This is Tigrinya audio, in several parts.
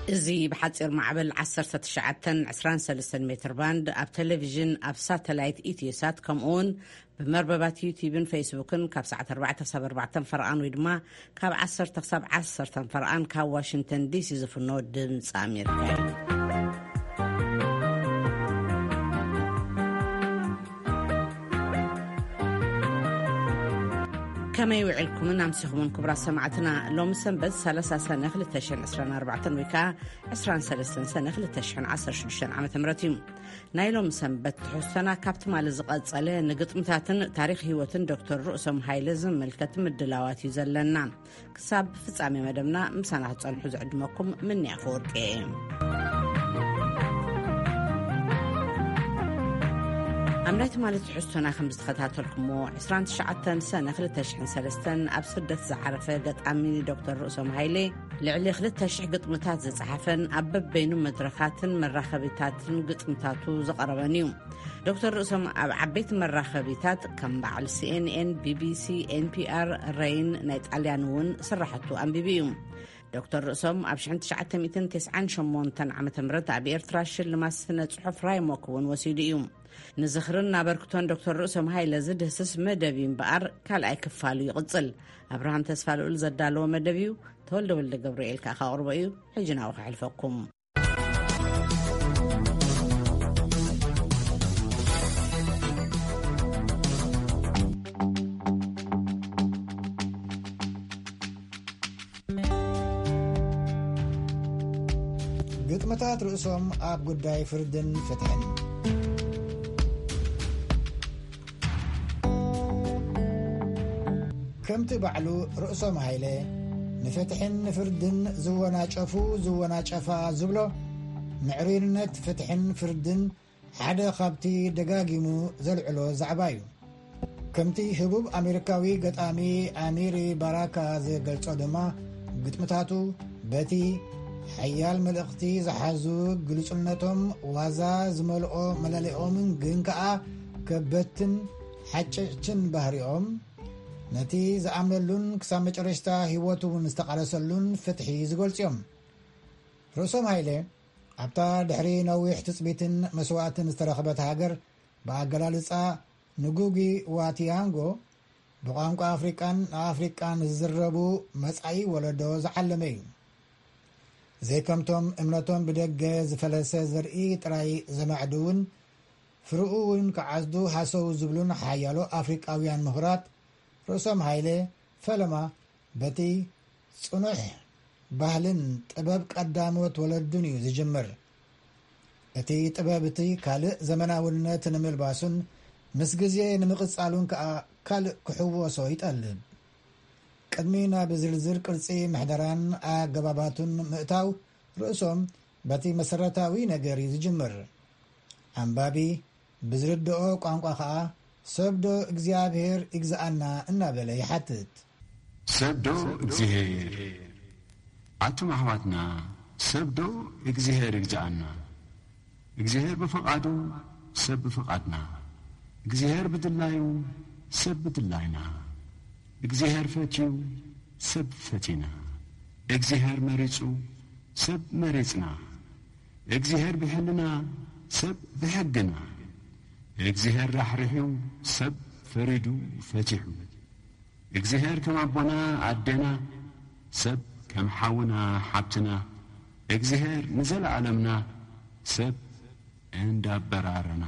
እዚ ብሓጺር ማዕበል ዓሰርተ ትሽዓተ ዕስራን ሰለስተን ሜትር ባንድ፣ ኣብ ቴሌቪዥን፣ ኣብ ሳተላይት ኢትዮሳት፣ ከምኡውን ብመርበባት ዩቲዩብን ፌስቡክን ካብ ሰዓት ኣርባዕተ ክሳብ ኣርባዕተ ፈርቓን፣ ወይ ድማ ካብ ዓሰርተ ክሳብ ዓሰርተ ፈርቓን ካብ ዋሽንግተን ዲሲ ዝፍኖ ድምፂ ኣሜሪካ እዩ። ከመይ ውዕልኩምን ኣምሲኹምን ክቡራት ሰማዕትና? ሎሚ ሰንበት ሰላሳ ሰነ ክልተ ሽሕን ዕስራን ኣርባዕተን፣ ወይ ከዓ ዕስራን ሰለስተን ሰነ ክልተ ሽሕን ዓሰርተ ሽዱሽተን ዓመተ ምህረት እዩ። ናይ ሎሚ ሰንበት ትሕዝቶና ካብ ትማሊ ዝቐጸለ፣ ንግጥምታትን ታሪኽ ህይወትን ዶክተር ርእሶም ሃይለ ዝምልከት ምድላዋት እዩ ዘለና። ክሳብ ፍጻሜ መደብና ምሳና ክትጸንሑ ዝዕድመኩም ምንያ ፈወርቂ እየ። ኣብ ናይ ትማሊ ትሕዝቶና ከም ዝተኸታተልኩሞ፣ ዕስራን ትሽዓተን ሰነ ክልተ ሽሕን ሰለስተን ኣብ ስደት ዝዓረፈ ገጣሚ ዶክተር ርእሶም ሃይለ፣ ልዕሊ ክልተ ሽሕ ግጥምታት ዝጸሓፈን ኣብ በበይኑ መድረኻትን መራኸቢታትን ግጥምታቱ ዘቐረበን እዩ። ዶክተር ርእሶም ኣብ ዓበይቲ መራኸቢታት ከም በዓል ሲኤንኤን፣ ቢቢሲ፣ ኤንፒኣር፣ ረይን ናይ ጣልያን እውን ስራሕቱ ኣንቢቡ እዩ። ዶክተር ርእሶም ኣብ ሽሕን ትሽዓተ ሚእትን ተስዓን ሸሞንተን ዓመተ ምህረት ኣብ ኤርትራ ሽልማት ስነ ጽሑፍ ራይሞክ እውን ወሲዱ እዩ። ንዝኽርን ኣበርክቶን ዶክተር ርእሶም ሃይለ ዝድህስስ መደብ እዩ እምበኣር፣ ካልኣይ ክፋሉ ይቕጽል። ኣብርሃም ተስፋ ልኡል ዘዳለዎ መደብ እዩ። ተወልደ ወልደ ገብርኤል ከኣ ከቕርቦ እዩ። ሕጂ ናብኡ ከሕልፈኩም። ግጥምታት ርእሶም ኣብ ጉዳይ ፍርድን ፍትሕን። ከምቲ ባዕሉ ርእሶም ሃይለ፣ ንፍትሕን ንፍርድን ዝወናጨፉ ዝወናጨፋ ዝብሎ፣ ምዕሩይነት ፍትሕን ፍርድን ሓደ ካብቲ ደጋጊሙ ዘልዕሎ ዛዕባ እዩ። ከምቲ ህቡብ ኣሜሪካዊ ገጣሚ ኣሚሪ ባራካ ዝገልጾ ድማ፣ ግጥምታቱ በቲ ሓያል መልእኽቲ ዝሓዙ ግሉጽነቶም፣ ዋዛ ዝመልኦ መለለኦም፣ ግን ከኣ ከበድትን ሓጨጭትን ባህሪኦም፣ ነቲ ዝኣምነሉን ክሳብ መጨረሽታ ህይወቱ እውን ዝተቓለሰሉን ፍትሒ ዝገልጹ እዮም። ርእሶም ሃይለ፣ ኣብታ ድሕሪ ነዊሕ ትጽቢትን መስዋእትን ዝተረኽበት ሃገር፣ ብኣገላልጻ ንጉጊ ዋ ቲያንጎ፣ ብቋንቋ ኣፍሪቃን ንኣፍሪቃን ዝዝረቡ መጻኢ ወለዶ ዝዓለመ እዩ። ዘይከምቶም እምነቶም ብደገ ዝፈለሰ ዘርኢ ጥራይ ዘማዕድውን፣ ፍርኡ እውን ክዓጽዱ ሃሰው ዝብሉን ሓያሎ ኣፍሪቃውያን ምሁራት፣ ርእሶም ሃይለ ፈለማ በቲ ጽኑሕ ባህልን ጥበብ ቀዳሞት ወለዱን እዩ ዝጅምር። እቲ ጥበብ እቲ ካልእ ዘመናውነት ንምልባሱን ምስ ግዜ ንምቕጻሉን ከኣ ካልእ ክሕወሶ ይጠልብ። ቅድሚ ናብ ዝርዝር ቅርጺ ምሕደራን ኣገባባቱን ምእታው፣ ርእሶም በቲ መሰረታዊ ነገር እዩ ዝጅምር። ኣንባቢ ብዝርድኦ ቋንቋ ኸኣ፣ "ሰብ ዶ እግዚኣብሔር ይግዝኣና?" እናበለ ይሓትት። ሰብ ዶ እግዚኣብሔር? ኣቱም ኣሕዋትና፣ ሰብ ዶ እግዚኣብሔር ይግዝኣና? እግዚኣብሔር ብፍቓዱ፣ ሰብ ብፍቓድና። እግዚኣብሔር ብድላዩ፣ ሰብ ብድላይና። እግዚኣብሔር ፈትዩ፣ ሰብ ፈቲና። እግዚኣብሔር መሪጹ፣ ሰብ መሪጽና። እግዚኣብሔር ብሕልና፣ ሰብ ብሕግና። እግዚኣብሔር ራሕሪሑ፣ ሰብ ፈሪዱ ፈቲሑ። እግዚኣብሔር ከም ኣቦና ኣዴና፣ ሰብ ከም ሓውና ሓብትና። እግዚኣብሔር ንዘለዓለምና፣ ሰብ እንዳበራረና።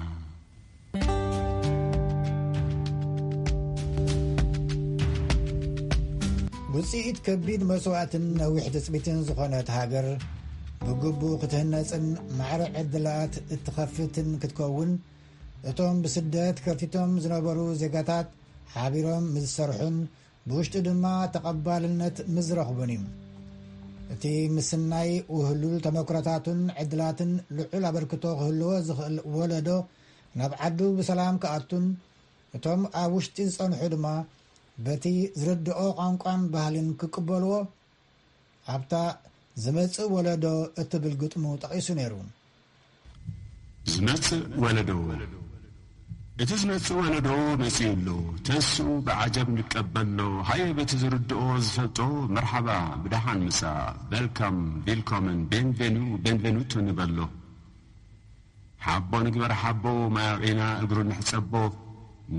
ውጽኢት ከቢድ መስዋእትን ነዊሕ ትጽቢትን ዝኾነት ሃገር፣ ብግቡእ ክትህነጽን ማዕረ ዕድላት እትኸፍትን ክትከውን፣ እቶም ብስደት ከርቲቶም ዝነበሩ ዜጋታት ሓቢሮም ምስ ዝሰርሑን ብውሽጡ ድማ ተቐባልነት ምስ ዝረኽቡን እዩ። እቲ ምስናይ ውህሉል ተመክሮታቱን ዕድላትን ልዑል ኣበርክቶ ክህልዎ ዝኽእል ወለዶ ናብ ዓዱ ብሰላም ክኣቱን፣ እቶም ኣብ ውሽጢ ዝጸንሑ ድማ በቲ ዝርድኦ ቋንቋን ባህልን ክቅበልዎ፣ ኣብታ ዝመጽእ ወለዶ እትብል ግጥሙ ጠቒሱ ነይሩ። ዝመጽእ ወለዶ፣ እቲ ዝመጽእ ወለዶ መጺኡ ኣሎ። ተስኡ ብዓጀብ ንቀበሎ። ሃየ በቲ ዝርድኦ ዝፈልጦ መርሓባ ብደሓን ምጻእ። በልካም፣ ቪልኮመን፣ ቤንቬኑ፣ ቤንቬኑቶ ንበሎ። ሓቦ ንግበር ሓቦ፣ ማይ ኣውዒና እግሩ ንሕጸቦ።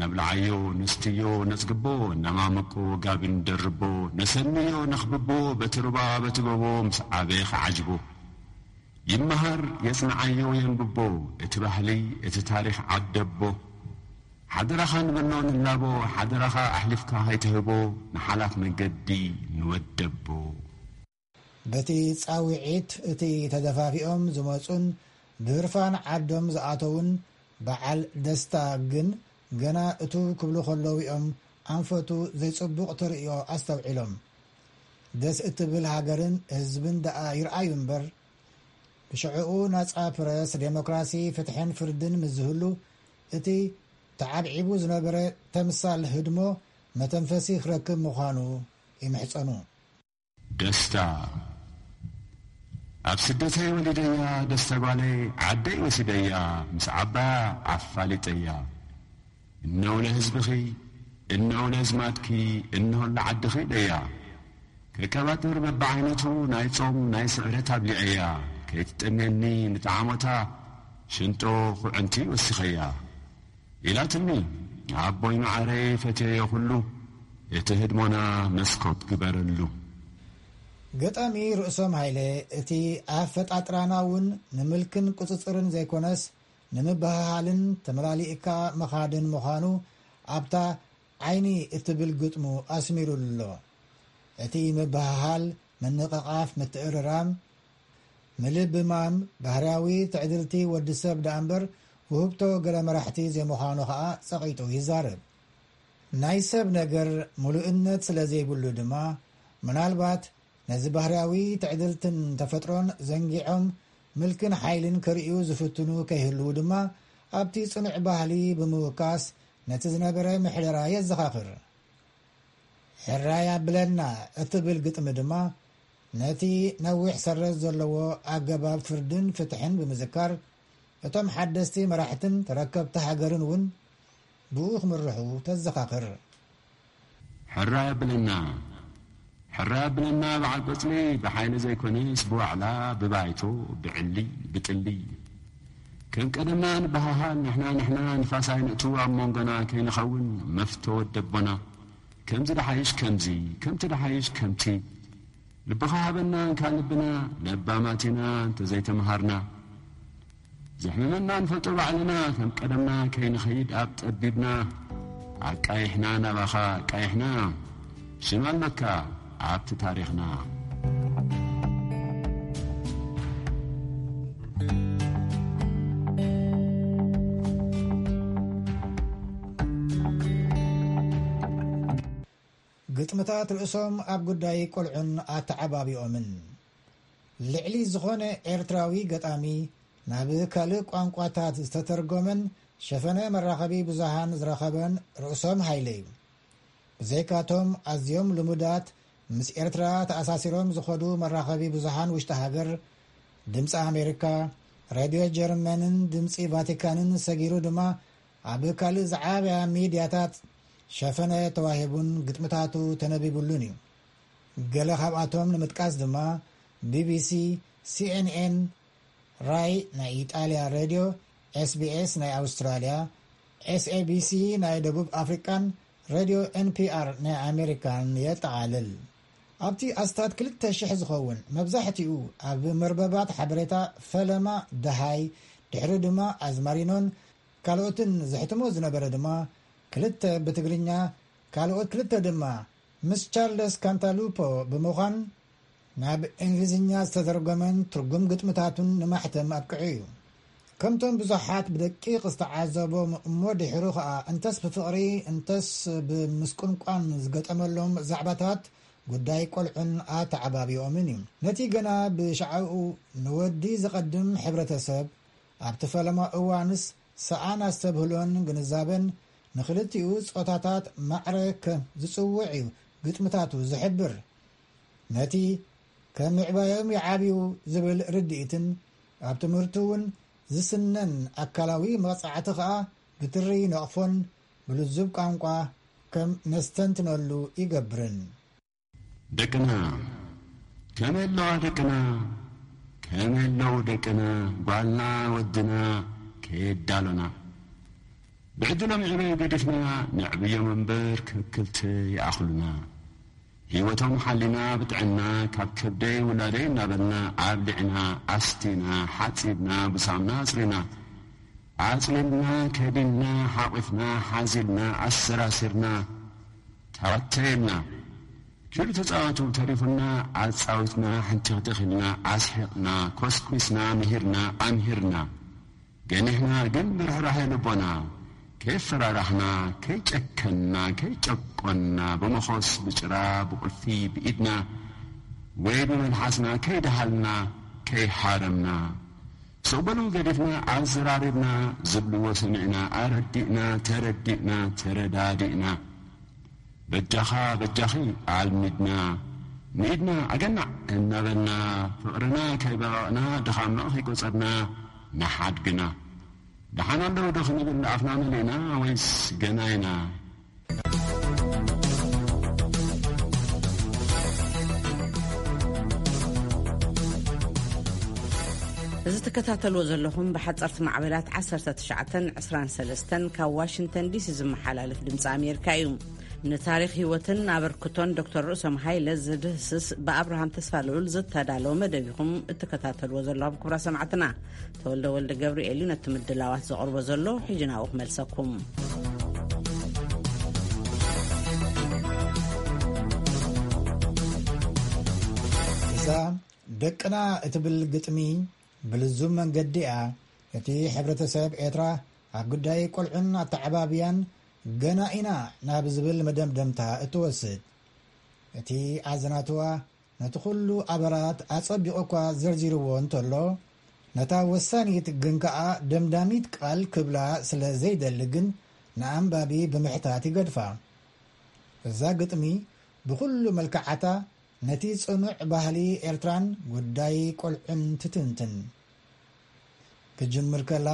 ነብልዓዮ፣ ንስትዮ፣ ነጽግቦ፣ ነማምቆ፣ ጋቢ ንደርቦ፣ ነሰንዮ፣ ነኽብቦ፣ በቲ ሩባ፣ በቲ ጎቦ፣ ምስ ዓበየ ክዓጅቦ። ይመሃር፣ የጽንዓዮ፣ የንብቦ፣ እቲ ባህሊ፣ እቲ ታሪኽ ዓደቦ። ሓደራኻ ንበሎ ንላቦ፣ ሓደራኻ ኣሕሊፍካ ኸይትህቦ፣ ንሓላፍ መገዲ ንወደቦ። በቲ ጻውዒት እቲ ተደፋፊኦም ዝመጹን ብህርፋን ዓዶም ዝኣተዉን በዓል ደስታ ግን ገና እቱ ክብሉ ከለዉ እዮም ኣንፈቱ ዘይጽቡቕ ተርእዮ ኣስተውዒሎም። ደስ እትብል ሃገርን ህዝብን ደኣ ይርኣዩ እምበር፣ ብሽዕኡ ናጻ ፕረስ፣ ዴሞክራሲ፣ ፍትሕን ፍርድን ምስ ዝህሉ፣ እቲ ተዓብዒቡ ዝነበረ ተምሳል ህድሞ መተንፈሲ ክረክብ ምዃኑ ይምሕጸኑ። ደስታ። ኣብ ስደተይ ወሊደያ፣ ደስታ ጓለይ ዓደይ ወሲደያ፣ ምስ ዓባያ ኣፋሊጠያ። እነው ለህዝብኺ፣ እነው ለዝማድኪ፣ እነሆ ለዓድኺ ደያ። ከቀባጥር በብዓይነቱ ናይ ጾም ናይ ስዕረት ኣብሊዐያ። ከይትጠምየኒ ንጠዓሞታ፣ ሽንጦ ኩዕንቲ ወሲኸያ። ኢላትኒ፣ ኣቦይ መዓረይ ፈትየዮ ኩሉ፣ እቲ ህድሞና መስኮት ግበረሉ። ገጣሚ ርእሶም ሃይለ፣ እቲ ኣፈጣጥራና እውን ንምልክን ቁጽጽርን ዘይኮነስ፣ ንምብህሃልን ተመላሊእካ ምኻድን ምዃኑ ኣብታ ዓይኒ እትብል ግጥሙ ኣስሚሩሉ ኣሎ። እቲ ምብህሃል፣ ምንቕቓፍ፣ ምትእርራም፣ ምልብማም ባህርያዊ ትዕድልቲ ወዲ ሰብ ደኣ እምበር ውህብቶ ገለ መራሕቲ ዘይምዃኑ ኸኣ ጸቒጡ ይዛረብ። ናይ ሰብ ነገር ምሉእነት ስለ ዘይብሉ ድማ፣ ምናልባት ነዚ ባህርያዊ ትዕድልትን ተፈጥሮን ዘንጊዖም ምልክን ሓይልን ክርእዩ ዝፍትኑ ከይህልዉ ድማ፣ ኣብቲ ጽኑዕ ባህሊ ብምውካስ ነቲ ዝነበረ ምሕደራ የዘኻኽር። ሕራይ ኣብለና እትብል ግጥሚ ድማ፣ ነቲ ነዊሕ ሰረዝ ዘለዎ ኣገባብ ፍርድን ፍትሕን ብምዝካር፣ እቶም ሓደስቲ መራሕትን ተረከብቲ ሃገርን እውን ብኡ ክምርሑ ተዘኻኽር። ሕራይ ኣብለና፣ ሕራይ ኣብለና በዓል ቆጽሊ፣ ብሓይሊ ዘይኮነስ ብዋዕላ፣ ብባይቶ፣ ብዕሊ፣ ብጥሊ። ከም ቀደምና ንበሃሃል፣ ንሕና ንሕና ንፋስ ኣይነእቱ ኣብ መንጎና ከይንኸውን፣ መፍቶ ወደቦና። ከምዚ ደሓይሽ ከምዚ፣ ከምቲ ደሓይሽ ከምቲ። ልብኻ ሃበና እንካ ልብና፣ ለባማት ኢና እንተዘይተምሃርና። ዘሕምመና ንፈልጦ ባዕልና፣ ከም ቀደምና ከይንኸይድ ኣብ ጠቢብና። ኣቃይሕና ናባኻ ኣቃይሕና፣ ሽም ኣለካ ኣብቲ ታሪኽና። ግጥምታት ርእሶም ኣብ ጉዳይ ቆልዑን ኣተዓባቢኦምን። ልዕሊ ዝኾነ ኤርትራዊ ገጣሚ ናብ ካልእ ቋንቋታት ዝተተርጎመን ሸፈነ መራኸቢ ብዙሃን ዝረኸበን ርእሶም ሃይለ እዩ። ብዘይካቶም ኣዝዮም ልሙዳት ምስ ኤርትራ ተኣሳሲሮም ዝኸዱ መራኸቢ ብዙሃን ውሽጢ ሃገር፣ ድምፂ ኣሜሪካ፣ ሬድዮ ጀርመንን ድምፂ ቫቲካንን ሰጊሩ ድማ ኣብ ካልእ ዝዓበያ ሚድያታት ሸፈነ ተዋሂቡን ግጥምታቱ ተነቢቡሉን እዩ። ገለ ካብኣቶም ንምጥቃስ ድማ ቢቢሲ፣ ሲኤንኤን፣ ራይ ናይ ኢጣልያ ሬድዮ፣ ኤስቢኤስ ናይ ኣውስትራልያ፣ ኤስኤቢሲ ናይ ደቡብ ኣፍሪቃን ሬድዮ ኤንፒኣር ናይ ኣሜሪካን የጠቓልል። ኣብቲ ኣስታት ክልተ ሽሕ ዝኸውን መብዛሕትኡ ኣብ መርበባት ሓበሬታ ፈለማ ደሃይ፣ ድሕሪ ድማ ኣዝማሪኖን ካልኦትን ዘሕትሞ ዝነበረ ድማ ክልተ ብትግርኛ፣ ካልኦት ክልተ ድማ ምስ ቻርለስ ካንታሉፖ ብምዃን ናብ እንግሊዝኛ ዝተተርጎመን ትርጉም ግጥምታቱን ንማሕተም ኣብቅዑ እዩ። ከምቶም ብዙሓት ብደቂቕ ዝተዓዘቦም እሞ ድሕሩ ኸኣ እንተስ ብፍቕሪ እንተስ ብምስቁንቋን ዝገጠመሎም ዛዕባታት ጉዳይ ቆልዑን ኣተዓባቢኦምን እዩ። ነቲ ገና ብሻዕኡ ንወዲ ዝቐድም ሕብረተሰብ ኣብቲ ፈለማ እዋንስ ሰኣን ኣስተብህሎን ግንዛበን ንኽልቲኡ ጾታታት ማዕረ ከም ዝጽውዕ እዩ ግጥምታቱ ዝሕብር። ነቲ ከም ምዕባዮም ይዓብዩ ዝብል ርድኢትን ኣብ ትምህርቱ እውን ዝስነን ኣካላዊ መቕጻዕቲ ኸኣ ብትሪ ይነቕፎን ብልዙብ ቋንቋ ከም ነስተንትነሉ ይገብርን። ደቅና፣ ከመይ ኣለዋ ደቅና? ከመይ ኣለዉ ደቅና? ጓልና ወድና ከየዳሎና። ብዕድሎም ዕበዩ ገዲፍና፣ ነዕብዮም እምበር ከክልተ ይኣኽሉና። ህይወቶም ሓሊና ብጥዕና፣ ካብ ከብደይ ውላደይ እናበልና፣ ኣብሊዕና፣ ኣስቲና፣ ሓጺብና፣ ብሳምና ኣጽሪና፣ ኣጽሊልና፣ ከዲንና፣ ሓቂፍና፣ ሓዚልና፣ ኣሰራሲርና፣ ተባተየልና። ኪዱ ተጻወቱ ተሪፉና፣ ኣጻዊትና፣ ሕንቲኽቲኽ ኢልና፣ ኣስሒቕና፣ ኮስኲስና፣ ምሂርና፣ ኣምሂርና። ገኒሕና ግን ብርሕራሐ ልቦና፣ ከይፈራራሕና፣ ከይጨከንና፣ ከይጨቆንና፣ ብመኾስ ብጭራ ብቁልፊ ብኢድና ወይ ብመልሓስና ከይደሃልና፣ ከይሃረምና፣ ስቕ በሉ ገዲፍና፣ ኣዘራሪብና፣ ዝብልዎ ሰሚዕና፣ ኣረዲእና፣ ተረዲእና፣ ተረዳዲእና። በጃኻ በጃኺ ኣልሚድና፣ ንኢድና ኣገናዕ እናበልና፣ ፍቕርና ከይበቐቕና፣ ድኻምና ከይቆጸርና፣ ንሓድግና። ደሓን ኣለዉ ዶ ክንብል ኣፍና መሊእና ወይስ ገና ኢና? እዚ ትከታተልዎ ዘለኹም ብሓጸርቲ ማዕበላት ዓሰርተ ትሽዓተን ዕስራን ሰለስተን ካብ ዋሽንግተን ዲሲ ዝመሓላለፍ ድምፂ ኣሜሪካ እዩ። ንታሪኽ ህይወትን ኣበርክቶን ዶክተር ርእሶም ሃይለ ዝድህስስ ብኣብርሃም ተስፋልዑል ዝተዳለወ መደብ ኢኹም እትከታተልዎ ዘለኹም ክቡራ ሰማዕትና። ተወልደ ወልደ ገብርኤል እዩ ነቲ ምድላዋት ዘቕርቦ ዘሎ። ሕጂ ናብኡ ክመልሰኩም። እዛ ደቅና እትብል ግጥሚ ብልዙብ መንገዲ እያ ነቲ ሕብረተሰብ ኤርትራ ኣብ ጉዳይ ቆልዑን ኣተዓባብያን ገና ኢና ናብ ዝብል መደምደምታ እትወስድ። እቲ ኣዘናትዋ ነቲ ኩሉ ኣበራት ኣጸቢቑ እኳ ዘርዚርዎ እንተሎ፣ ነታ ወሳኒት ግን ከኣ ደምዳሚት ቃል ክብላ ስለ ዘይደሊ ግን ንኣንባቢ ብምሕታት ይገድፋ። እዛ ግጥሚ ብኹሉ መልክዓታ ነቲ ጽኑዕ ባህሊ ኤርትራን ጉዳይ ቆልዑን ትትንትን። ክጅምር ከላ፣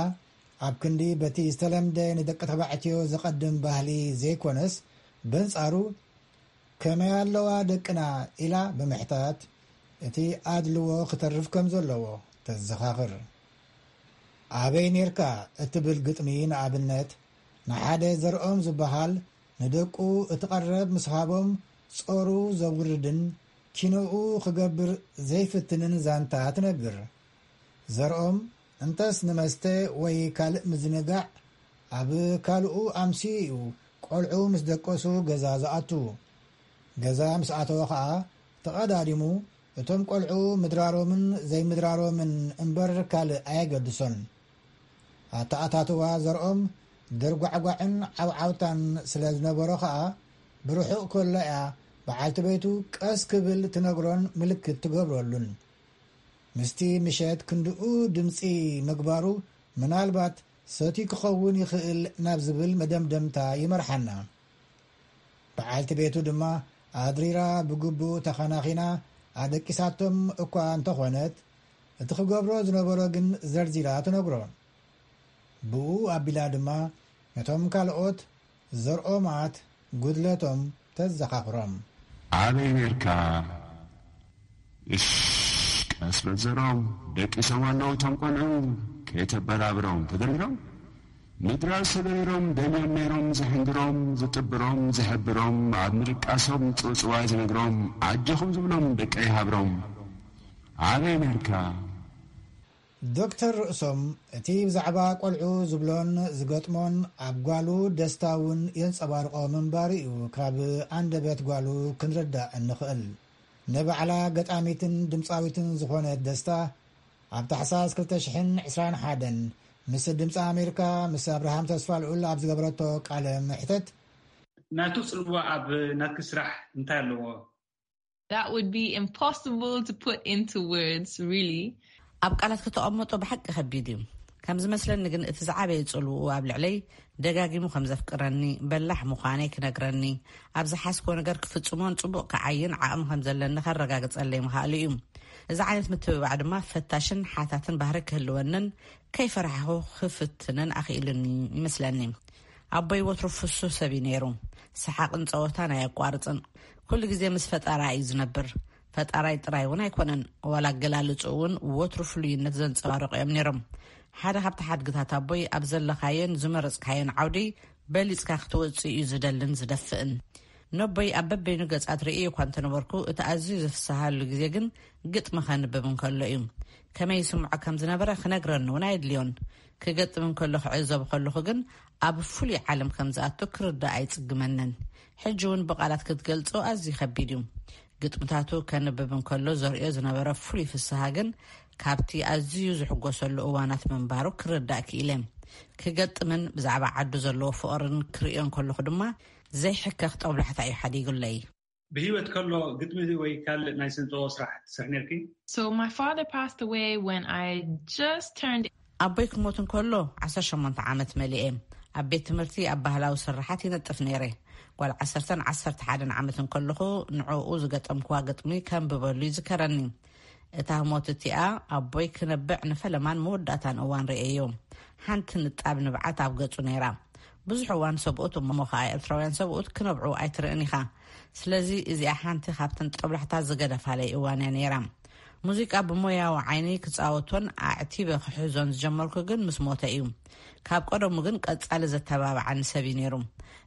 ኣብ ክንዲ በቲ ዝተለምደ ንደቂ ተባዕትዮ ዘቐድም ባህሊ ዘይኮነስ፣ በንጻሩ፣ "ከመይ ኣለዋ ደቅና?" ኢላ ብምሕታት፣ እቲ ኣድልዎ ክተርፍ ከም ዘለዎ ተዘኻኽር። "ኣበይ ኔርካ?" እትብል ግጥሚ፣ ንኣብነት፣ ንሓደ ዘርኦም ዝበሃል ንደቁ እቲ ቀረብ ምስ ሃቦም ጾሩ ዘውርድን ኪኖኡ ክገብር ዘይፍትንን ዛንታ ትነግር። ዘርኦም እንተስ ንመስተ ወይ ካልእ ምዝንጋዕ ኣብ ካልኡ ኣምስዩ እዩ ቆልዑ ምስ ደቀሱ ገዛ ዝኣቱ። ገዛ ምስ ኣተወ ኸኣ ተቐዳዲሙ እቶም ቆልዑ ምድራሮምን ዘይምድራሮምን እምበር ካልእ ኣየገድሶን። ኣተኣታትዋ ዘርኦም ድርጓዕጓዕን ዓውዓውታን ስለ ዝነበሮ ኸኣ ብርሑቕ ከሎ እያ በዓልቲ ቤቱ ቀስ ክብል ትነግሮን ምልክት ትገብረሉን። ምስቲ ምሸት ክንድኡ ድምጺ ምግባሩ ምናልባት ሰትዩ ክኸውን ይኽእል ናብ ዝብል መደምደምታ ይመርሓና። በዓልቲ ቤቱ ድማ ኣድሪራ ብግቡእ ተኸናኺና ኣደቂሳቶም እኳ እንተኾነት፣ እቲ ክገብሮ ዝነበሮ ግን ዘርዚራ ትነግሮ። ብኡ ኣቢላ ድማ ነቶም ካልኦት ዘርኦማት ጉድለቶም ተዘኻኽሮም። "ኣበይ ኔርካ?" "እሽ፣ ቀስ በል ዘርኦም፣ ደቂሶም ኣለዉ እቶም ቆልዑ፣ ከይተበራብሮም ተደርቢሮም፣ ምድራር ሰበሪሮም፣ ደልዮም ነይሮም ዝሕንግሮም፣ ዝጥብሮም፣ ዝሕብሮም፣ ኣብ ምድቃሶም ጽውጽዋይ ዝነግሮም፣ ኣጆኹም ዝብሎም ደቀይ ሃብሮም። ኣበይ ኔርካ?" ዶክተር ርእሶም፣ እቲ ብዛዕባ ቆልዑ ዝብሎን ዝገጥሞን ኣብ ጓሉ ደስታ እውን የንጸባርቖ ምንባሩ እዩ ካብ ኣንደበት ጓሉ ክንርዳእ እንኽእል። ንባዕላ ገጣሚትን ድምጻዊትን ዝኾነት ደስታ፣ ኣብ ታሕሳስ ክልተ ሽሕን ዕስራን ሓደን ምስ ድምጺ ኣሜሪካ፣ ምስ ኣብርሃም ተስፋልዑል ኣብ ዝገበረቶ ቃለ መሕተት፣ ናቱ ጽልዋ ኣብ ናትኪ ስራሕ እንታይ ኣለዎ? That would be impossible to put into words, really. ኣብ ቃላት ከተቐምጦ ብሓቂ ከቢድ እዩ። ከም ዝመስለኒ ግን እቲ ዝዓበየ ጽልውኡ ኣብ ልዕለይ ደጋጊሙ ከም ዘፍቅረኒ፣ በላሕ ምዃነይ ክነግረኒ፣ ኣብ ዝሓዝኮ ነገር ክፍጽሞን ጽቡቕ ክዓይን ዓቕሚ ከም ዘለኒ ከረጋግጸለይ ምኽኣሉ እዩ። እዚ ዓይነት ምትብባዕ ድማ ፈታሽን ሓታትን ባህሪ ክህልወንን ከይፈራሕኹ ክፍትንን ኣኽኢሉኒ ይመስለኒ። ኣቦይ ወትሩ ፍሱህ ሰብ እዩ ነይሩ። ሰሓቕን ጸወታን ኣየቋርጽን። ኩሉ ግዜ ምስ ፈጣራ እዩ ዝነብር። ፈጣራይ ጥራይ እውን ኣይኮነን፣ ዋላ ኣገላልጹ እውን ወትሩ ፍሉይነት ዘንጸባርቑ እዮም ነይሮም። ሓደ ካብቲ ሓድግታት ኣቦይ ኣብ ዘለኻዮን ዝመረጽካዮን ዓውዲ በሊጽካ ክትወጽእ እዩ ዝደልን ዝደፍእን። ነቦይ ኣብ በበይኑ ገጻት ርእየ እኳ እንተነበርኩ፣ እቲ ኣዝዩ ዝፍስሃሉ ግዜ ግን ግጥሚ ከንብብ እንከሎ እዩ። ከመይ ይስምዖ ከም ዝነበረ ክነግረኒ እውን ኣየድልዮን። ክገጥም እንከሎ ክዕዘብ ከለኹ ግን ኣብ ፍሉይ ዓለም ከም ዝኣቱ ክርዳእ ኣይጽግመንን። ሕጂ እውን ብቓላት ክትገልጾ ኣዝዩ ከቢድ እዩ። ግጥምታቱ ከንብብ እንከሎ ዘርእዮ ዝነበረ ፍሉይ ፍስሃ ግን ካብቲ ኣዝዩ ዝሕጎሰሉ እዋናት ምንባሩ ክርዳእ ክኢለ። ክገጥምን ብዛዕባ ዓዱ ዘለዎ ፍቕርን ክርእዮ እንከለኹ ድማ ዘይሕከኽ ጠብላሕታ እዩ ሓዲጉለይ። ብህይወት ከሎ ግጥሚ ወይ ካልእ ናይ ስነ ጥበባዊ ስራሕ ትሰርሒ ነርኪ? So my father passed away when I just turned ኣቦይ ክሞት እንከሎ ዓሰርተ ሸሞንተ ዓመት መሊኤ። ኣብ ቤት ትምህርቲ ኣብ ባህላዊ ስርሓት ይነጥፍ ነይረ። ጓል ዓሰርተን ዓሰርተ ሓደን ዓመት እንከለኹ ንዕኡ ዝገጠምክዋ ግጥሚ ከንብበሉ ይዝከረኒ። እታ ህሞት እቲኣ ኣቦይ ክነብዕ ንፈለማን መወዳእታን እዋን ርእየዮ። ሓንቲ ንጣብ ንብዓት ኣብ ገጹ ነይራ። ብዙሕ እዋን ሰብኡት እሞ ኸኣ ኤርትራውያን ሰብኡት ክነብዑ ኣይትርእን ኢኻ። ስለዚ እዚኣ ሓንቲ ካብተን ጠብላሕታ ዝገደፋለይ እዋን እያ ነይራ። ሙዚቃ ብሞያዊ ዓይኒ ክጻወቶን ኣዕቲበ ክሕዞን ዝጀመርኩ ግን ምስ ሞተ እዩ። ካብ ቀደሙ ግን ቀጻሊ ዘተባብዓኒ ሰብ እዩ ነይሩ።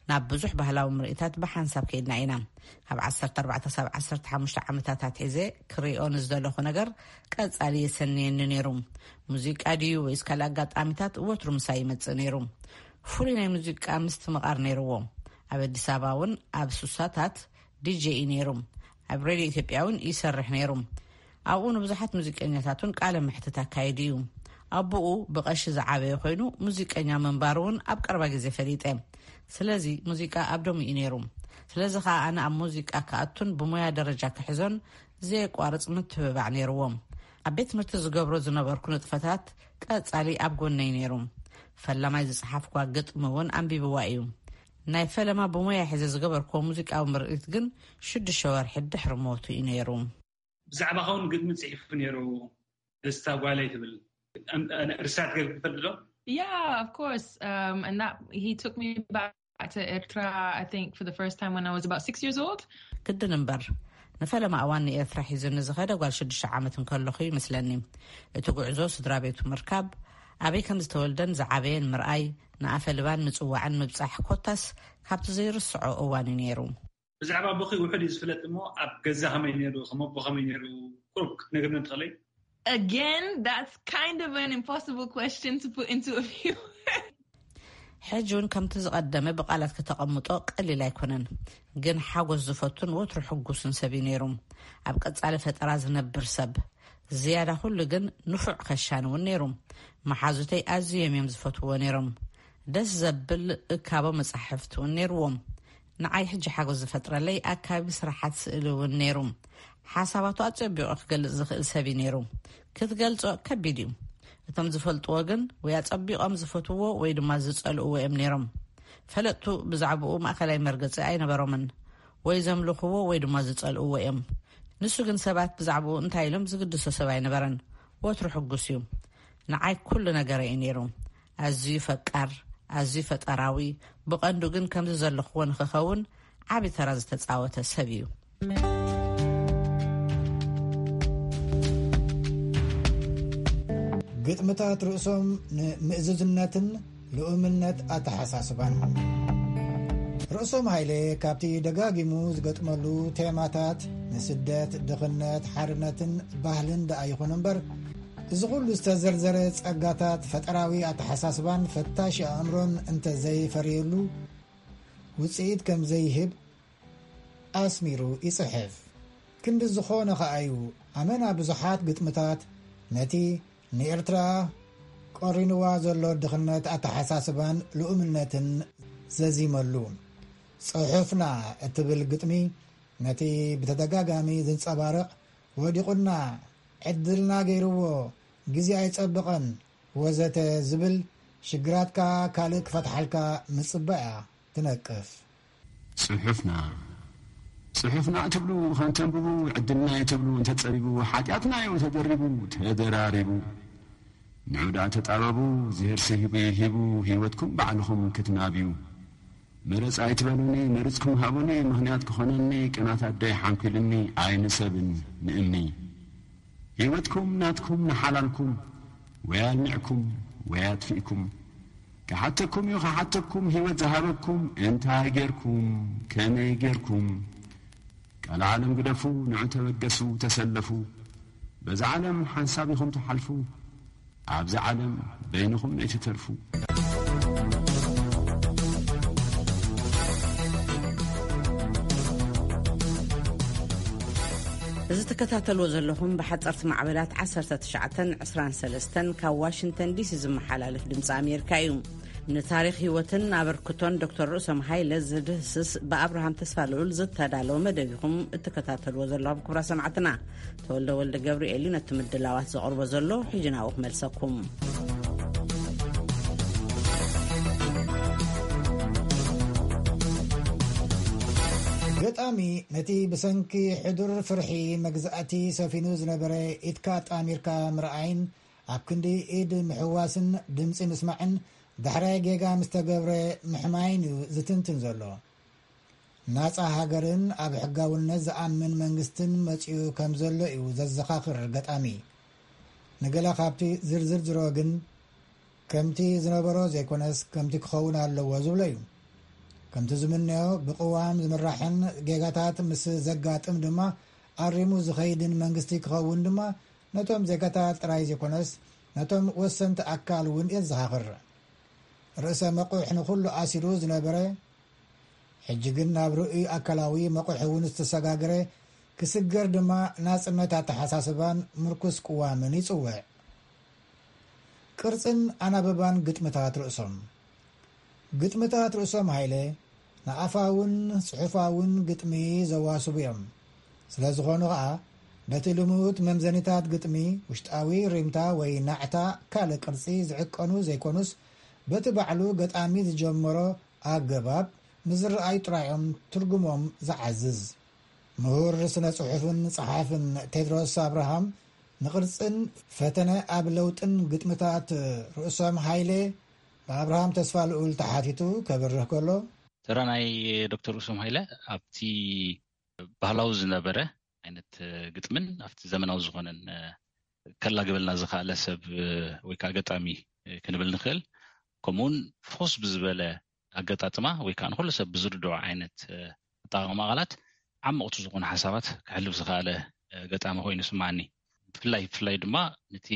ናብ ብዙሕ ባህላዊ ምርኢታት ብሓንሳብ ከይድና ኢና። ካብ ዓሰርተ ኣርባዕተ ሳብ ዓሰርተ ሓሙሽተ ዓመታት ኣትሒዘ ክሪኦ ንዝደለኹ ነገር ቀጻሊ የሰንየኒ ነይሩ። ሙዚቃ ድዩ ወይስ ካልእ ኣጋጣሚታት ወትሩ ምሳይ ይመጽእ ነይሩ። ፍሉይ ናይ ሙዚቃ ምስትምቓር ነይርዎ። ኣብ ኣዲስ ኣበባ እውን ኣብ ሱሳታት ዲጄ እዩ ነይሩ። ኣብ ሬድዮ ኢትዮጵያ እውን ይሰርሕ ነይሩ። ኣብኡ ንብዙሓት ሙዚቀኛታት እውን ቃለ መሕትት ኣካይዱ እዩ። ኣቦኡ ብቐሺ ዝዓበየ ኮይኑ ሙዚቀኛ ምንባሩ እውን ኣብ ቀረባ ግዜ ፈሊጠ። ስለዚ ሙዚቃ ኣብ ደሙ እዩ ነይሩ። ስለዚ ኸኣ ኣነ ኣብ ሙዚቃ ክኣቱን ብሞያ ደረጃ ክሕዞን ዘየቋርጽ ምትብባዕ ነይርዎ። ኣብ ቤት ትምህርቲ ዝገብሮ ዝነበርኩ ንጥፈታት ቀጻሊ ኣብ ጎነይ ነይሩ። ፈላማይ ዝጸሓፍኳ ግጥሚ እውን ኣንቢብዋ እዩ። ናይ ፈለማ ብሞያ ሒዘ ዝገበርክዎ ሙዚቃዊ ምርኢት ግን ሽዱሽተ ወርሒ ድሕሪ ሞቱ እዩ ነይሩ። ብዛዕባኻ እውን ግጥሚ ጽሒፉ ነይሩ። ደስታ ጓለይ ትብል ርሳት ገር ትፈልጥ ዶ? Yeah, of course. Um, and that he took me back to Ertra, I think, for the first time when I was about six years old. ግድን እምበር፣ ንፈለማ እዋን ንኤርትራ ሒዙኒ ዝኸደ ጓል ሽዱሽተ ዓመት እንከለኹ ይመስለኒ። እቲ ጉዕዞ ስድራ ቤቱ ምርካብ፣ ኣበይ ከም ዝተወልደን ዝዓበየን ምርኣይ፣ ንኣፈ ልባን ምጽዋዕን ምብጻሕ ኮታስ ካብቲ ዘይርስዖ እዋን እዩ ነይሩ። ብዛዕባ ኣቦኺ ውሑድ እዩ ዝፍለጥ እሞ ኣብ ገዛ ከመይ ነይሩ፣ ከም ኣቦ ከመይ ነይሩ ቁሩብ ክትነግርኒ ትኽእለይ? Again, that's kind of an impossible question to put into a few words. ሕጂ እውን ከምቲ ዝቐደመ ብቓላት ከተቐምጦ ቀሊል ኣይኮነን። ግን ሓጎስ ዝፈቱን ወትሩ ሕጉስን ሰብ እዩ ነይሩ። ኣብ ቀጻሊ ፈጠራ ዝነብር ሰብ። ዝያዳ ኩሉ ግን ንፉዕ ከሻኒ እውን ነይሩ። መሓዙተይ ኣዝዮም እዮም ዝፈትዎ ነይሮም። ደስ ዘብል እካቦ መጻሕፍቲ እውን ነይርዎም። ንዓይ ሕጂ ሓጎስ ዝፈጥረለይ ኣካቢ ስራሓት ስእሊ እውን ነይሩ። ሓሳባቱ ኣጸቢቑ ክገልጽ ዝኽእል ሰብ እዩ ነይሩ። ክትገልጾ ከቢድ እዩ። እቶም ዝፈልጥዎ ግን ወይ ኣጸቢቖም ዝፈትዎ ወይ ድማ ዝጸልእዎ እዮም ነይሮም። ፈለጥቱ ብዛዕባኡ ማእከላይ መርገጺ ኣይነበሮምን። ወይ ዘምልኽዎ ወይ ድማ ዝጸልእዎ እዮም። ንሱ ግን ሰባት ብዛዕባኡ እንታይ ኢሎም ዝግድሶ ሰብ ኣይነበረን። ወትሩ ሕጉስ እዩ። ንዓይ ኩሉ ነገረይ እዩ ነይሩ። ኣዝዩ ፈቃር፣ ኣዝዩ ፈጠራዊ፣ ብቐንዱ ግን ከምዚ ዘለኽዎ ንኽኸውን ዓቢ ተራ ዝተጻወተ ሰብ እዩ። ግጥምታት ርእሶም ንምእዙዝነትን ልኡምነት ኣተሓሳስባን። ርእሶም ሃይለ ካብቲ ደጋጊሙ ዝገጥመሉ ቴማታት ንስደት፣ ድኽነት፣ ሓርነትን ባህልን ደኣ ይኹን እምበር፣ እዚ ኩሉ ዝተዘርዘረ ጸጋታት ፈጠራዊ ኣተሓሳስባን ፈታሽ ኣእምሮን እንተ ዘይፈርየሉ ውጽኢት ከም ዘይህብ ኣስሚሩ ይጽሕፍ። ክንዲ ዝኾነ ከኣ እዩ ኣመና ብዙሓት ግጥምታት ነቲ ንኤርትራ ቆሪንዋ ዘሎ ድኽነት ኣተሓሳስባን ልኡምነትን ዘዚመሉ። ጽሑፍና እትብል ግጥሚ ነቲ ብተደጋጋሚ ዝንጸባረቕ ወዲቑና፣ ዕድልና ገይርዎ፣ ግዜ ኣይጸብቐን፣ ወዘተ ዝብል ሽግራትካ ካልእ ክፈትሓልካ ምጽባያ ትነቅፍ። ጽሑፍና ጽሑፍና ትብሉ ከንተንብቡ፣ ዕድልና እዩ ትብሉ እንተጸቢቡ፣ ሓጢኣትና እዩ ተደሪቡ ተደራሪቡ። ንዑ ደኣ ተጣበቡ፣ ዝሄርሲ ሂቡ ሂቡ፣ ህይወትኩም ባዕልኹም ክትናብዩ። መረጽ ኣይትበሉኒ፣ መርጽኩም ሃቡኒ፣ ምኽንያት ክኾነኒ፣ ቅናት ኣደይ ሓንኪሉኒ፣ ኣይንሰብን ንእምኒ። ህይወትኩም ናትኩም ንሓላልኩም፣ ወይ ኣልሚዕኩም ወይ ኣጥፊእኩም። ክሓተኩም እዩ ክሓተኩም፣ ህይወት ዝሃበኩም፣ እንታይ ጌርኩም፣ ከመይ ጌርኩም? ቃል ዓለም ግደፉ፣ ንዑ ተበገሱ፣ ተሰለፉ። በዛ ዓለም ሓንሳብ ኢኹም ትሓልፉ፣ ኣብዚ ዓለም በይንኹም ነይትተርፉ። እዚ ትከታተልዎ ዘለኹም ብሓጸርቲ ማዕበላት ዓሰርተ ትሽዓተን ዕስራን ሰለስተን ካብ ዋሽንግተን ዲሲ ዝመሓላለፍ ድምፂ ኣሜሪካ እዩ። ንታሪኽ ህይወትን ኣበርክቶን ዶክተር ርእሶም ሃይለ ዝድህስስ ብኣብርሃም ተስፋልኡል ዝተዳለወ መደብ ኢኹም እትከታተልዎ ዘለኹም ክቡራት ሰማዕትና። ተወልደ ወልደ ገብርኤል እዩ ነቲ ምድላዋት ዘቕርቦ ዘሎ። ሕጂ ናብኡ ክመልሰኩም። ገጣሚ ነቲ ብሰንኪ ሕዱር ፍርሒ መግዛእቲ ሰፊኑ ዝነበረ ኢድካ ኣጣሚርካ ምርኣይን ኣብ ክንዲ ኢድ ምሕዋስን ድምጺ ምስማዕን ዳሕራይ ጌጋ ምስ ተገብረ ምሕማይን እዩ ዝትንትን ዘሎ። ናጻ ሃገርን ኣብ ሕጋውነት ዝኣምን መንግስትን መጺኡ ከም ዘሎ እዩ ዘዘኻኽር ገጣሚ። ንገለ ካብቲ ዝርዝር ዝሮ ግን ከምቲ ዝነበሮ ዘይኮነስ ከምቲ ክኸውን ኣለዎ ዝብሎ እዩ። ከምቲ ዝምነዮ ብቅዋም ዝምራሕን ጌጋታት ምስ ዘጋጥም ድማ ኣሪሙ ዝኸይድን መንግስቲ ክኸውን ድማ ነቶም ዜጋታት ጥራይ ዘይኮነስ ነቶም ወሰንቲ ኣካል እውን የዘኻኽር። ርእሰ መቑሕ ንኹሉ ኣሲሩ ዝነበረ ሕጂ ግን ናብ ርእይ ኣካላዊ መቑሕ እውን ዝተሰጋገረ ክስገር ድማ ናጽነት ኣተሓሳስባን ምርኩስ ቅዋምን ይጽውዕ። ቅርጽን ኣናብባን ግጥምታት ርእሶም። ግጥምታት ርእሶም ሃይለ ንኣፋውን ጽሑፋውን ግጥሚ ዘዋስቡ እዮም። ስለ ዝኾኑ ኸኣ ነቲ ልሙድ መምዘኒታት ግጥሚ ውሽጣዊ ሪምታ ወይ ናዕታ ካልእ ቅርጺ ዝዕቀኑ ዘይኮኑስ በቲ ባዕሉ ገጣሚ ዝጀመሮ ኣገባብ ንዝረኣዩ ጥራዮም ትርጉሞም ዝዓዝዝ። ምሁር ስነ ጽሑፍን ጸሓፍን ቴድሮስ ኣብርሃም ንቕርጽን ፈተነ ኣብ ለውጥን ግጥምታት ርእሶም ሃይለ ብኣብርሃም ተስፋ ልኡል ተሓቲቱ ከብርህ ከሎ። ተራ ናይ ዶክተር ርእሶም ሃይለ ኣብቲ ባህላዊ ዝነበረ ዓይነት ግጥምን ኣብቲ ዘመናዊ ዝኾነን ከላግበልና ዝኸኣለ ሰብ ወይ ከዓ ገጣሚ ክንብል ንኽእል። ከምኡውን ፍኹስ ብዝበለ ኣገጣጥማ ወይ ከዓ ንኩሉ ሰብ ብዝርድኦ ዓይነት ኣጠቃቅማ ቃላት ዓመቕቲ ዝኾኑ ሓሳባት ክሕልፍ ዝኸኣለ ገጣሚ ኮይኑ ይስምዓኒ። ብፍላይ ብፍላይ ድማ ነቲ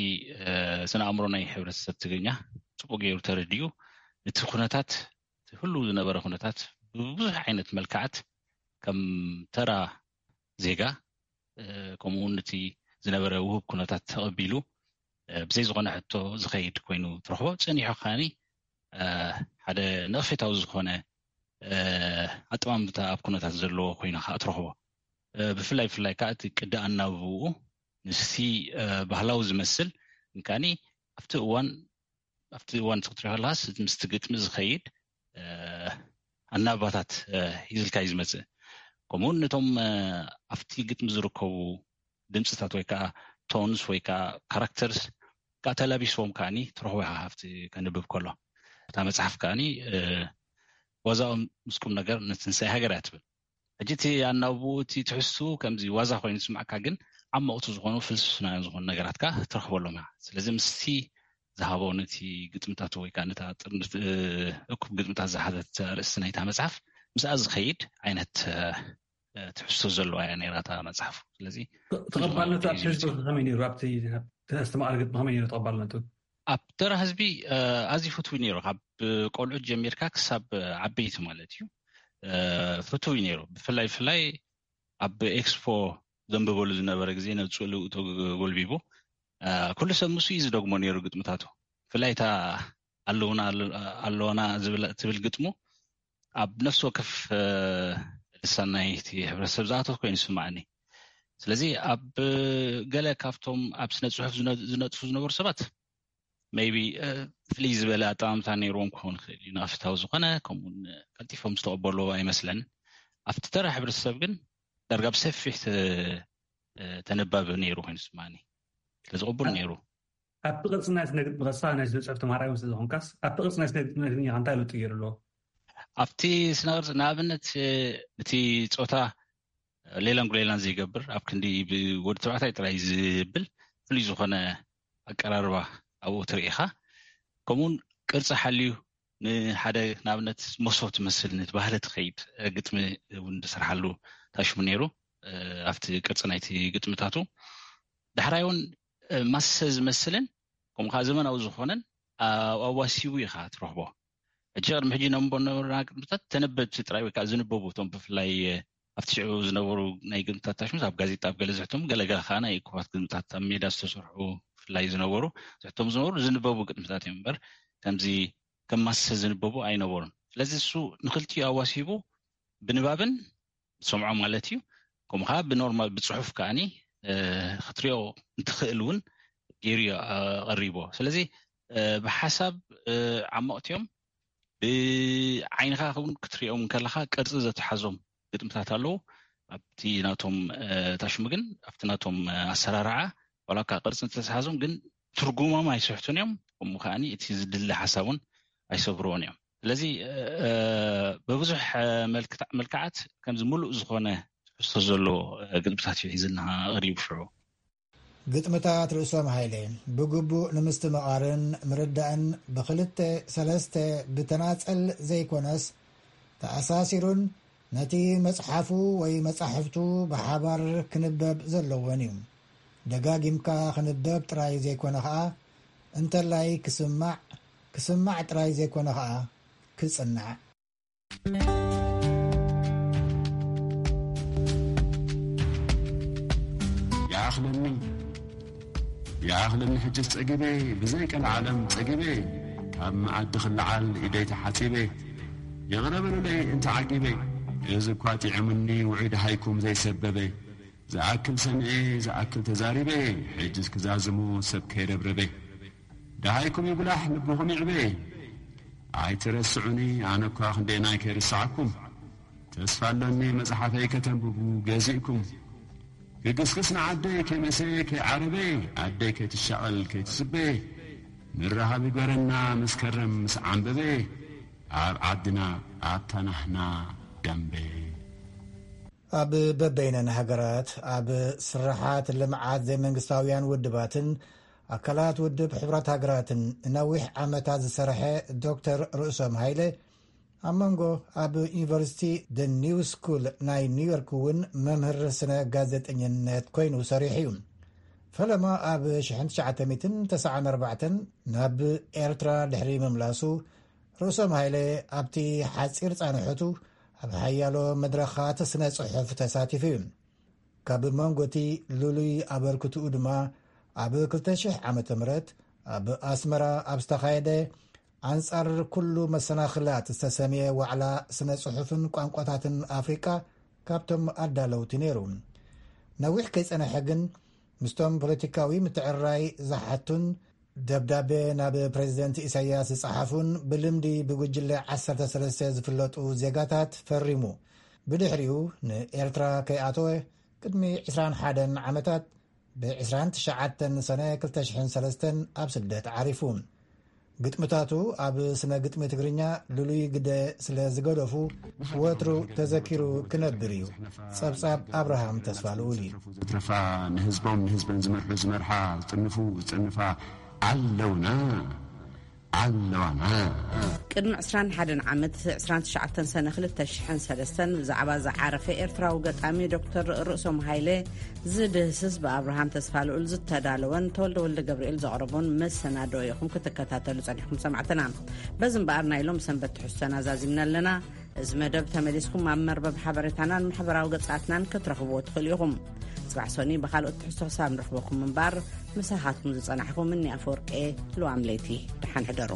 ስነ ኣእምሮ ናይ ሕብረተሰብ ትግርኛ ጽቡቅ ገይሩ ተረዲኡ ነቲ ኩነታት እቲ ህሉው ዝነበረ ኩነታት ብብዙሕ ዓይነት መልክዓት ከም ተራ ዜጋ ከምኡ እውን እቲ ዝነበረ ውህብ ኩነታት ተቐቢሉ ብዘይ ዝኾነ ሕቶ ዝኸይድ ኮይኑ ትረኽቦ። ጸኒሑ ከዓኒ ሓደ ነቐፌታዊ ዝኾነ ኣጠማምታ ኣብ ኩነታት ዘለዎ ኮይኑ ከዓ ትረኽቦ። ብፍላይ ብፍላይ ከዓ እቲ ቅዲ ኣናብብኡ ምስቲ ባህላዊ ዝመስል እንካኒ ኣብቲ እዋን ኣብቲ እዋን ክትሪኦ ከለኻስ ምስቲ ግጥሚ ዝኸይድ ኣናባታት ሂዝልካ እዩ ዝመፅእ። ከምኡውን ነቶም ኣብቲ ግጥሚ ዝርከቡ ድምፅታት ወይ ከዓ ቶንስ ወይ ከዓ ካራክተርስ ከዓ ተላቢስዎም ከዓኒ ትረኽቦ ኢኻ። ኣብቲ ከንብብ ከሎ እታ መፅሓፍ ከዓኒ ዋዛኦም ምስ ቁም ነገር ንትንሳኤ ሃገር እያ ትብል። ሕጂ እቲ ኣናብብኡ እቲ ትሕዝትኡ ከምዚ ዋዛ ኮይኑ ዝስምዓካ ግን ዓመቕቲ ዝኾኑ ፍልስፍናውያን ዝኾኑ ነገራት ከዓ ትረኽበሎም ኢኻ። ስለዚ ምስቲ ዝሃቦ ነቲ ግጥምታቱ ወይ ከዓ ነታ ጥርንፍ እኩብ ግጥምታት ዝሓዘት ኣርእስቲ ናይታ መፅሓፍ ምስኣ ዝኸይድ ዓይነት ትሕዝቶ ዘለዋ እያ ነይራ እታ መፅሓፉ። ስለዚ ተቐባልነቱ ኣብቲ ህዝቢ ከመይ ነይሩ? ኣብቲ ኣስተማቓሪ ግጥሚ ከመይ ነይሩ ተቐባልነቱ? ኣብ ተራ ህዝቢ ኣዝዩ ፍትዊ ነይሩ። ካብ ቆልዑት ጀሚርካ ክሳብ ዓበይቲ ማለት እዩ ፍትዊ ነይሩ። ብፍላይ ብፍላይ ኣብ ኤክስፖ ዘንብበሉ ዝነበረ ግዜ ነብፅኡ ልውእቶ ጎልቢቡ ኩሉ ሰብ ምስኡ እዩ ዝደግሞ ነይሩ ግጥምታቱ። ብፍላይ እታ ኣለውና ኣለዋና ትብል ግጥሙ ኣብ ነፍሲ ወከፍ ልሳን ናይቲ ሕብረተሰብ ዝኣተወት ኮይኑ ይስምዓኒ። ስለዚ ኣብ ገለ ካብቶም ኣብ ስነ ፅሑፍ ዝነጥፉ ዝነበሩ ሰባት maybe ፍልይ ዝበለ ኣጠማምታ ነይርዎም ክኸውን ይኽእል እዩ። ንኣፍታዊ ዝኾነ ከምኡውን ቀልጢፎም ዝተቐበልዎ ኣይመስለንን። ኣብቲ ተራ ሕብረተሰብ ግን ዳርጋ ብሰፊሕ ተ-፣ ተነባቢ ነይሩ ኮይኑ ስማኒ። ስለዚ ቅቡል ነይሩ። ኣብቲ ቅርጺ ናይ ስነ ግጥሚ ከሳ ናይ ስነ ጽሑፍ ተማሃራይ እውን ስለ ዝኾንካስ፣ ኣብቲ ቅርጺ ናይ ስነ ግጥሚ ኢኻ እንታይ ለውጢ ገይሩ ኣሎ? ኣብቲ ስነ ቅርጺ ንኣብነት፣ እቲ ጾታ ሌላን ጉሌላን ዘይገብር፣ ኣብ ክንዲ ብወዲ ተባዕታይ ጥራይ ዝብል ፍሉይ ዝኾነ ኣቀራርባ ኣብኡ ትርኢ ኢኻ። ከምኡውን ቅርጺ ሓልዩ ንሓደ ንኣብነት መሶብ ትመስል ነቲ ባህሊ ትኸይድ ግጥሚ እውን ዝሰርሓሉ ታሽሙ ነይሩ። ኣብቲ ቅርጺ ናይቲ ግጥምታቱ ዳሕራይ እውን ማሰ ዝመስልን ከምኡ ከዓ ዘመናዊ ዝኾነን ኣብኡ ኣዋሲቡ ኢኻ ትረኽቦ። ሕጂ ቅድሚ ሕጂ ነንቦ ነበርና ግጥምታት ተነበብቲ ጥራይ ወይ ከዓ ዝንበቡ እቶም ብፍላይ ኣብቲ ሽዑ ዝነበሩ ናይ ግጥምታት ታሽሙስ ኣብ ጋዜጣ ኣብ ገለ ዝሕተሙ ገለገለ ከዓ ናይ እኩባት ግጥምታት ኣብ ሜዳ ዝተሰርሑ ብፍላይ ዝነበሩ ዝሕተሙ ዝነበሩ ዝንበቡ ግጥምታት እዮም እምበር ከምዚ ከም ማሰ ዝንበቡ ኣይነበሩን። ስለዚ እሱ ንክልቲኡ ኣዋሲቡ ብንባብን ዝሰምዖ ማለት እዩ። ከምኡ ከዓ ብኖርማል ብፅሑፍ ከዓኒ፣ እ፣ ክትሪኦ እንትኽእል እውን ገይሩ እዩ፣ እ፣ ቀሪቦ። ስለዚ፣ እ፣ ብሓሳብ፣ እ፣ ዓመቕቲ እዮም። ብዓይንኻ እውን ክትሪኦም ከለኻ ቅርፂ ዘተሓዞም ግጥምታት ኣለዉ። ኣብቲ ናቶም፣ እ፣ ታሽሙ ግን ኣብቲ ናቶም፣ እ፣ ኣሰራርዓ ዋላ እኳ ቅርፂ እንተተሓዞም ግን ትርጉሞም ኣይስሕቱን እዮም። ከምኡ ከዓኒ እቲ ዝድለ ሓሳብ እውን ኣይሰብርዎን እዮም። ስለዚ፣ እ፣ ብብዙሕ፣ እ፣ መልክታ-፣ መልክዓት ከምዚ ምሉእ ዝኾነ ትሕዝቶ ዘለዎ፣ እ፣ ግጥምታት እዩ ሒዝልና ቀሪቡ ሽዑ። ግጥምታት ርእሶም ሃይለ ብግቡእ ንምስትምቓርን ምርዳእን ብክልተ ሰለስተ ብተናጸል ዘይኮነስ ተኣሳሲሩን ነቲ መጽሓፉ ወይ መጻሕፍቱ ብሓባር ክንበብ ዘለዎን እዩ። ደጋጊምካ ክንበብ ጥራይ ዘይኮነ ኸኣ እንተላይ ክስማዕ፣ ክስማዕ ጥራይ ዘይኮነ ኸኣ ክጽናዕ። ይኣኽለኒ፣ ይኣኽለኒ ሕጅስ ጸጊበ፣ ብዘይ ቀልዓለም ጸጊበ፣ ካብ መኣዲ ክለዓል ኢደይ ተሓጺበ፣ ይቕረ በሉለይ እንተ ዓጊበ፣ እዚ እኳ ጥዕሙኒ ውዑይ ደሃይኩም ዘይሰበበ፣ ዝኣክል ሰምዔ፣ ዝኣክል ተዛሪበ፣ ሕጅስ ክዛዝሞ ሰብ ከይረብረበ። ደሃይኩም ይጉላሕ ልብኹም ይዕበ። ኣይትረስዑኒ ኣነ እኳ ክንደየናይ ከይርስዓኩም። ተስፋ ኣሎኒ መጽሓፈይ ከተንብቡ ገዚእኩም። ክግስግስ ንዓደይ ከይመሰየ ከይዓረበ፣ ኣደይ ከይትሻቐል ከይትስበ። ምርሃብ ይግበረና ምስ ከረም ምስ ዓንበበ፣ ኣብ ዓድና ኣብታ ናህና ደምበ። ኣብ በበይነን ሃገራት ኣብ ስራሓት ልምዓት ዘይመንግስታውያን ውድባትን ኣካላት ውድብ ሕቡራት ሃገራትን ንነዊሕ ዓመታት ዝሰርሐ ዶክተር ርእሶም ሃይለ፣ ኣብ መንጎ ኣብ ዩኒቨርሲቲ ደ ኒው ስኩል ናይ ኒውዮርክ እውን መምህር ስነ ጋዜጠኝነት ኮይኑ ሰሪሑ እዩ። ፈለማ ኣብ ሽሕን ትሽዓተ ሚእትን ተስዓን ኣርባዕተን ናብ ኤርትራ ድሕሪ ምምላሱ፣ ርእሶም ሃይለ ኣብቲ ሓጺር ጻንሖቱ ኣብ ሓያሎ መድረኻት ስነ ጽሑፍ ተሳቲፉ እዩ። ካብ መንጎ እቲ ልሉይ ኣበርክትኡ ድማ ኣብ ክልተ ሽሕ ዓመተ ምህረት ኣብ ኣስመራ ኣብ ዝተኻየደ ኣንጻር ኩሉ መሰናኽላት ዝተሰምየ ዋዕላ ስነ ጽሑፍን ቋንቋታትን ኣፍሪቃ ካብቶም ኣዳለውቲ ነይሩ። ነዊሕ ከይጸንሐ ግን ምስቶም ፖለቲካዊ ምትዕርራይ ዝሓቱን ደብዳቤ ናብ ፕሬዚደንት ኢሳያስ ዝጸሓፉን ብልምዲ ብጉጅለ ዓሰርተ ሰለስተ ዝፍለጡ ዜጋታት ፈሪሙ። ብድሕሪኡ ንኤርትራ ከይኣተወ ቅድሚ ዕስራን ሓደን ዓመታት ብ ዕስራን ትሽዓተን ሰነ ክልተ ሽሕን ሰለስተን ኣብ ስደት ዓሪፉ። ግጥምታቱ ኣብ ስነ ግጥሚ ትግርኛ ልሉይ ግደ ስለ ዝገደፉ ወትሩ ተዘኪሩ ክነብር እዩ። ጸብጻብ ኣብርሃም ተስፋ ልኡል እዩ። ዘትረፋ፣ ንህዝቦም ንህዝበን ዝመርሑ ዝመርሓ፣ ዝጥንፉ ዝጥንፋ ኣለውና፣ ኣለዋና። ቅድሚ ዕስራን ሓደን ዓመት፣ ዕስራን ትሽዓተን ሰነ ክልተ ሽሕን ሰለስተን፣ ብዛዕባ ዝዓረፈ ኤርትራዊ ገጣሚ ዶክተር ርእሶም ሃይለ ዝድህስስ ብኣብርሃም ተስፋ ልኡል ዝተዳለወን ተወልደ ወልደ ገብርኤል ዘቕረቦን መሰናዶ ኢኹም ክትከታተሉ ጸኒሕኩም ሰማዕትና። በዚ እምበኣር ናይ ሎም ሰንበት ትሕዝቶና ዛዚምና ኣለና። እዚ መደብ ተመሊስኩም ኣብ መርበብ ሓበሬታናን ማሕበራዊ ገጻትናን ክትረኽብዎ ትኽእሉ ኢኹም። ጽባሕ ሶኒ ብኻልኦት ትሕዝቶ ክሳብ ንረኽበኩም እምበኣር፣ ምሳኻትኩም ዝጸናሕኩ ምኒ ኣፈወርቄ፣ ልዋም ለይቲ፣ ደሓን ሕደሩ።